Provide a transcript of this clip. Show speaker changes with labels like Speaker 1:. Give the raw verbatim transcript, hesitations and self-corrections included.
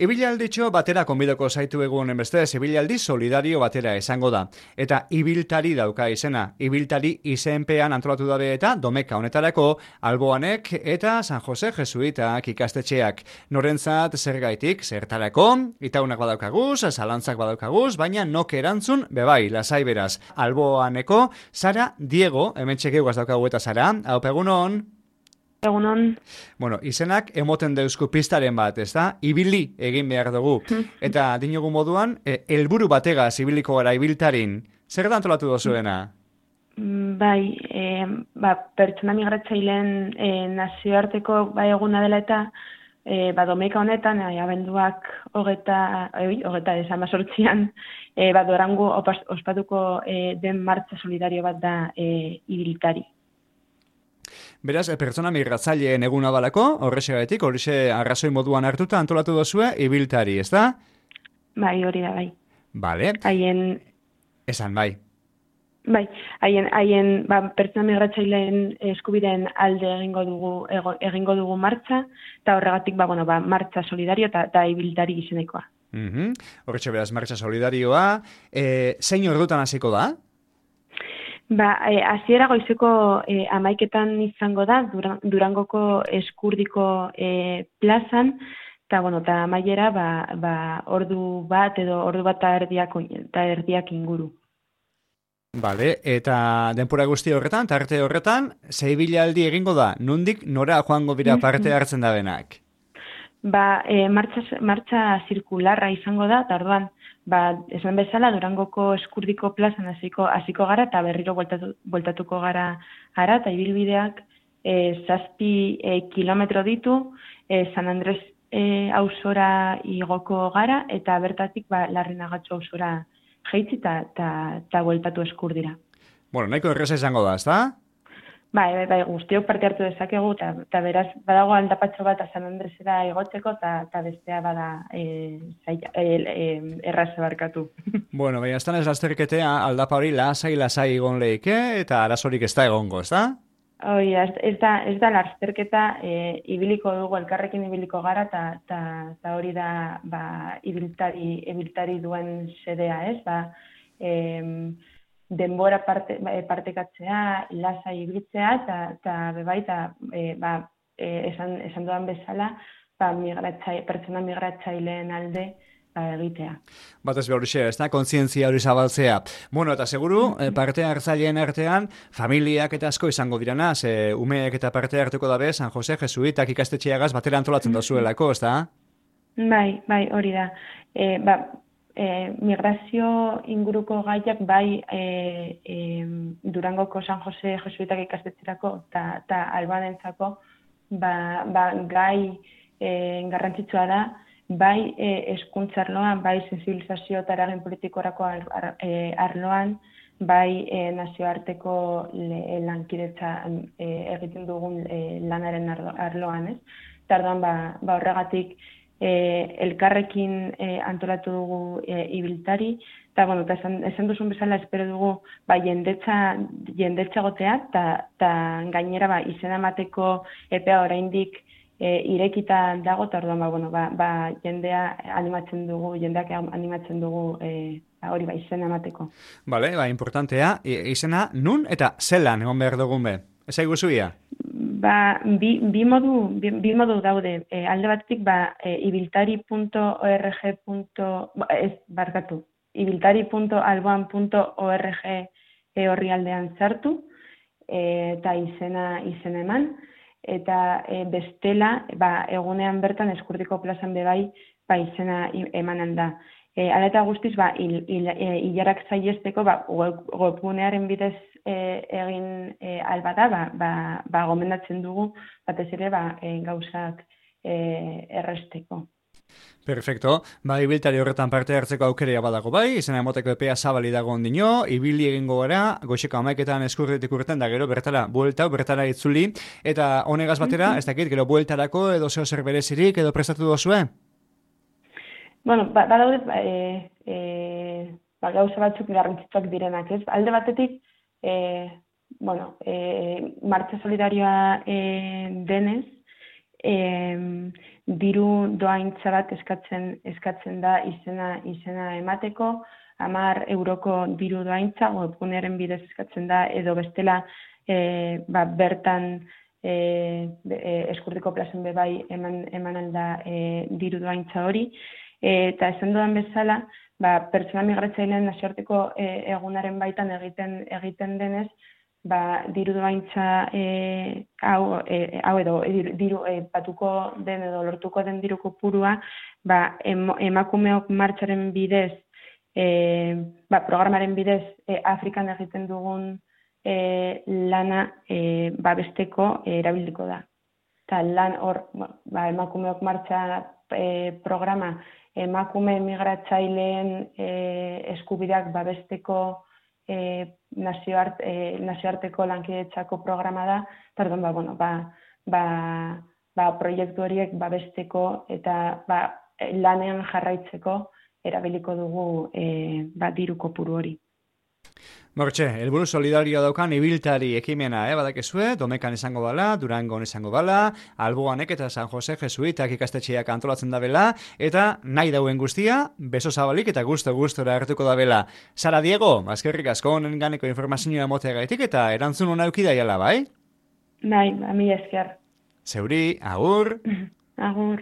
Speaker 1: Ibilaldicho batera konbidoko zaitu egun beste, ibilaldi solidario batera esango da. Eta ibiltari dauka izena. Ibiltari izenpean antolatu dabe eta domeka honetarako Alboanek eta San Jose Jesuitak ikastetxeak. Norentzat zergaitik, zertarako, itaunak badaukaguz, zalantzak badaukaguz, baina nok erantzun, bebai, lasai beraz. Alboaneko, Sara Diego, hemen txekeugaz daukagu eta Sara, hau pegunon.
Speaker 2: Egunon.
Speaker 1: Bueno, izenak emoten deuzku pistaren bat, ez da? Ibili egin behar dugu. Eta dinogu moduan, e, helburu bategaz ibiliko gara ibiltarin. Zer da antolatu dozuena?
Speaker 2: Bai, e, ba, pertsona migratzaileen e, nazioarteko ba, eguna dela eta e, ba, domeka honetan, e, abenduak hogeta, e, hogeta esan basortzian, e, ba, Durango ospatuko e, den martxa solidario bat da e, ibiltari.
Speaker 1: Beraz, pertsona migratzaileen eguna balako, horrexegatik, horrexe arrazoi moduan hartuta antolatu dozue ibiltari, ez da?
Speaker 2: Bai, hori da, bai.
Speaker 1: Bale.
Speaker 2: Haien...
Speaker 1: Esan, bai.
Speaker 2: Bai, haien, haien ba, pertsona migratzaileen eskubideen alde egingo dugu, ego, egingo dugu martxa, eta horregatik, ba, bueno, ba, martxa solidario eta ibiltari izenekoa.
Speaker 1: Mm-hmm. Horretxe beraz, martxa solidarioa. E, zein ordutan hasiko da?
Speaker 2: Ba, e, aziera goizeko e, amaiketan izango da, Durangoko eskurdiko e, plazan, eta, bueno, eta amaiera, ba, ba, ordu bat edo ordu bat eta erdiak, eta erdiak inguru.
Speaker 1: Bale, eta denpora guzti horretan, tarte horretan, zeibilaldi egingo da, nundik nora joango bira parte hartzen da benak?
Speaker 2: Ba, e, martxa, martxa zirkularra izango da, eta orduan, ba, esan bezala, Durangoko eskurdiko plazan hasiko hasiko gara, eta berriro bueltatu, bueltatuko gara gara, eta ibilbideak e, zazpi e, kilometro ditu, e, San Andres e, auzora igoko gara, eta bertatik ba, Larrinagatxo auzora jeitzi, eta bueltatu eskurdira.
Speaker 1: Bueno, nahiko erreza izango da, ezta?
Speaker 2: Bai, bai, bai, guztiok parte hartu dezakegu, eta beraz, badago aldapatxo bat San Andresera igotzeko, eta bestea bada e, zaila, e, e, erraze barkatu.
Speaker 1: Bueno, baina ez ez lasterketea aldapa hori lasai lasai egon leike, eta arazorik ez da egongo, ez da?
Speaker 2: Oi, ez, ez da, ez da lasterketa, e, ibiliko dugu, elkarrekin ibiliko gara, eta hori da ba, ibiltari, ibiltari duen sedea, ez? Ba, e, denbora parte, partekatzea, lasai ibiltzea, eta bebai, eta e, ba, e, esan, esan dudan bezala, ba, migratzai, pertsona migratzaileen alde ba, egitea.
Speaker 1: Bat ez behar ez da, kontzientzia hori zabaltzea. Bueno, eta seguru, mm-hmm. parte hartzaileen artean, familiak eta asko izango dirana, ze umeek eta parte hartuko dabe, San Jose Jesuitak ikastetxeagaz batera antolatzen mm-hmm. dozuelako, ez da?
Speaker 2: Bai, bai, hori da. E, ba, E, migrazio inguruko gaiak bai e, e, Durangoko San Jose Jesuitak ikastetxerako eta Albanentzako ba, ba, gai e, garrantzitsua da, bai e, hezkuntza arloan, bai sensibilizazio eta eragin politikorako ar, ar, e, arloan, bai e, nazioarteko le, lankidetza e, egiten dugun e, lanaren arloan, ez? Eta orduan, ba, ba horregatik E, elkarrekin e, antolatu dugu e, ibiltari, eta bueno, esan, esan duzun bezala espero dugu ba, jendetza, jendetza gotea, eta gainera ba, izena emateko epea oraindik e, irekita dago, eta orduan ba, bueno, ba, ba, jendea animatzen dugu, jendeak animatzen dugu e, hori ba, izena emateko.
Speaker 1: Bale, ba, importantea, izena nun eta zelan egon behar dugun be? Ez aiguzuia?
Speaker 2: Ba, bi, bi, modu, bi, bi modu daude. E, alde batetik, ba, e, ibiltari punto org. Ez, barkatu, ibiltari punto alboan punto org e, horri aldean sartu, e, eta izena, izena eman, eta e, bestela, ba, egunean bertan eskurdiko plazan bebai, ba, izena emanen da. E, Ala eta guztiz, ba, il, il, e, ilarak zaiesteko, ba, webgunearen bidez e, egin e, albada, ba, ba, ba, gomendatzen dugu, batez ere, ba, e, gauzak e, erresteko.
Speaker 1: Perfecto. Ba, ibiltari horretan parte hartzeko aukerea badago bai, izena emoteko epea zabali dago ondino, ibili egingo gara, goxeko amaiketan eskurretik urten da gero, bertara, bueltau, bertara itzuli, eta honegaz batera, ez dakit, gero bueltarako edo zeo zer berezirik edo prestatu dozue?
Speaker 2: Bueno, ba, badaude, ba, e, e, ba, gauza batzuk garrantzitsuak direnak, ez? Alde batetik, e, bueno, e, martxa solidarioa e, denez, e, diru doaintza bat eskatzen eskatzen da izena izena emateko, hamar euroko diru doaintza webgunearen bidez eskatzen da, edo bestela e, ba, bertan e, e, eskurtiko plazen bebai eman, eman alda e, diru doaintza hori. E, eta esan dudan bezala, ba, pertsona migratzaileen nazioarteko e, egunaren baitan egiten egiten denez, ba, diru doaintza e, hau, e, hau edo diru, diru e, batuko den edo lortuko den diru kopurua, ba, em, emakumeok martxaren bidez, e, ba, programaren bidez e, Afrikan egiten dugun e, lana e, babesteko e, erabiliko da. Eta lan hor, ba, emakumeok martxa e, programa emakume migratzaileen e, eskubideak babesteko e, nazioart, e, nazioarteko lankidetzako programa da, pardon, ba, bueno, ba, ba, ba, proiektu horiek babesteko eta ba, lanean jarraitzeko erabiliko dugu e, ba, diru kopuru hori.
Speaker 1: Mortxe, helburu solidarioa daukan ibiltari ekimena, eh, badakezue, Domekan izango bala, Durangon izango bala, Alboanek eta San Jose Jesuitak ikastetxeak antolatzen da bela, eta nahi dauen guztia, beso zabalik eta gusto-gustora hartuko da bela. Sara Diego, azkerrik asko honen ganeko informazioa moteagaitik eta erantzun hona eukidaiala, bai?
Speaker 2: Bai, ami esker.
Speaker 1: Zeuri, agur.
Speaker 2: Agur.